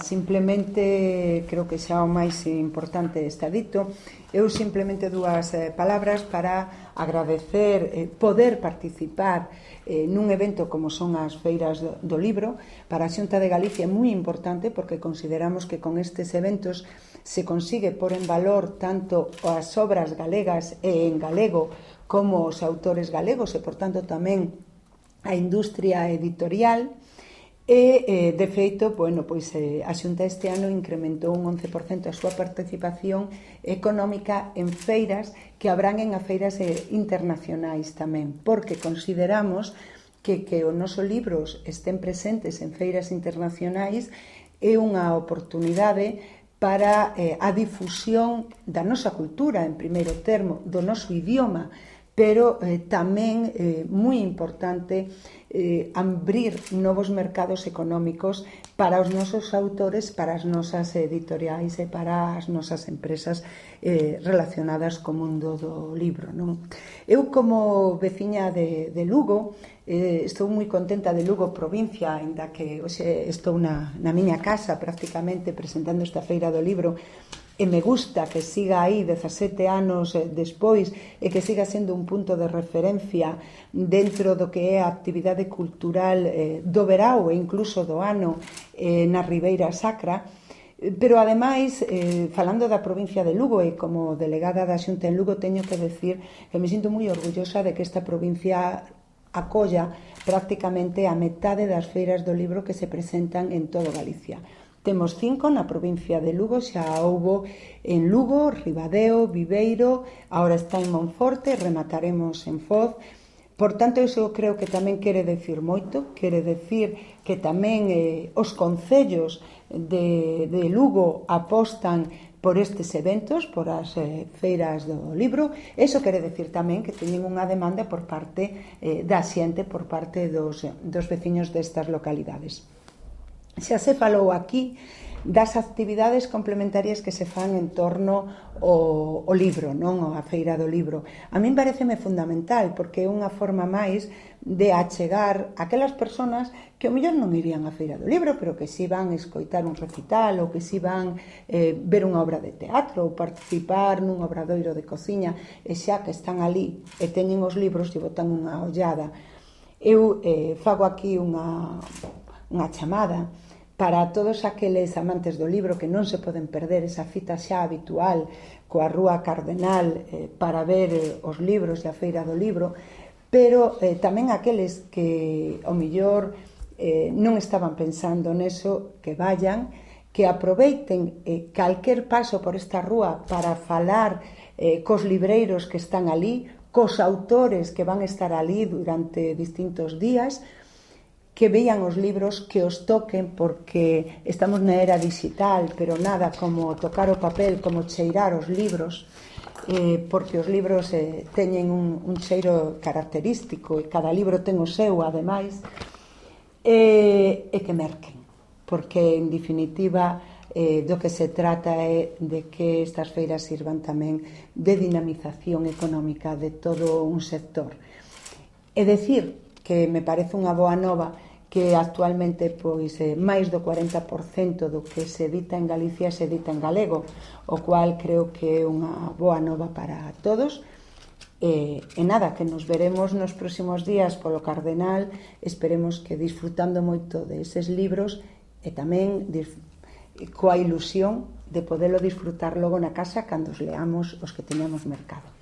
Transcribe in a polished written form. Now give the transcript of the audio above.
Simplemente, creo que xa o máis importante está dito. Eu simplemente dúas palabras para agradecer poder participar nun evento como son as feiras do libro. Para a Xunta de Galicia é moi importante porque consideramos que con estes eventos se consigue pôr en valor tanto as obras galegas e en galego como os autores galegos e, por tanto, tamén a industria editorial. E, de feito, a Xunta este ano incrementou un 11% a súa participación económica en feiras que abranguen a feiras internacionais tamén, porque consideramos que os nosos libros estén presentes en feiras internacionais é unha oportunidade para a difusión da nosa cultura, en primeiro termo, do noso idioma, pero tamén moi importante abrir novos mercados económicos para os nosos autores, para as nosas editoriais e para as nosas empresas relacionadas co mundo do libro, non? Eu, como veciña de Lugo, estou moi contenta de Lugo provincia, ainda que hoxe estou na miña casa prácticamente presentando esta feira do libro, e me gusta que siga aí 17 anos despois e que siga sendo un punto de referencia dentro do que é a actividade cultural do verao e incluso do ano na Ribeira Sacra. Pero, ademais, falando da provincia de Lugo e como delegada da Xunta en Lugo, teño que decir que me sinto moi orgullosa de que esta provincia acolla prácticamente a metade das feiras do libro que se presentan en todo Galicia. Temos 5 na provincia de Lugo, xa houbo en Lugo, Ribadeo, Viveiro, agora está en Monforte, remataremos en Foz. Por tanto, iso creo que tamén quere decir moito, quere decir que tamén os concellos de Lugo apostan por estes eventos, por as feiras do libro. Iso quere decir tamén que teñen unha demanda por parte da xente, por parte dos veciños destas localidades. Xa se falou aquí das actividades complementarias que se fan en torno ao libro, non? A feira do libro. A min pareceme fundamental porque é unha forma máis de achegar aquelas persoas que ao mellor non irían á feira do libro, pero que si van escoitar un recital ou que si van ver unha obra de teatro ou participar nun obradoiro de cociña, e xa que están ali e teñen os libros e botan unha ollada. Eu fago aquí unha chamada para todos aqueles amantes do libro que non se poden perder esa cita xa habitual coa Rúa Cardenal para ver os libros e a feira do libro, pero tamén aqueles que ao mellor non estaban pensando neso, que vayan, que aproveiten calquer paso por esta rúa para falar cos libreiros que están ali, cos autores que van estar ali durante distintos días, que vean os libros, que os toquen, porque estamos na era digital, pero nada como tocar o papel, como cheirar os libros, porque os libros teñen un cheiro característico e cada libro ten o seu, ademais, e que merquen, porque, en definitiva, do que se trata é de que estas feiras sirvan tamén de dinamización económica de todo un sector. É dicir, que me parece unha boa nova que actualmente máis do 40% do que se edita en Galicia se edita en galego, o cual creo que é unha boa nova para todos. E nada, que nos veremos nos próximos días polo Cardenal, esperemos que disfrutando moito deses libros e tamén coa ilusión de podelo disfrutar logo na casa cando os leamos os que teñamos mercado.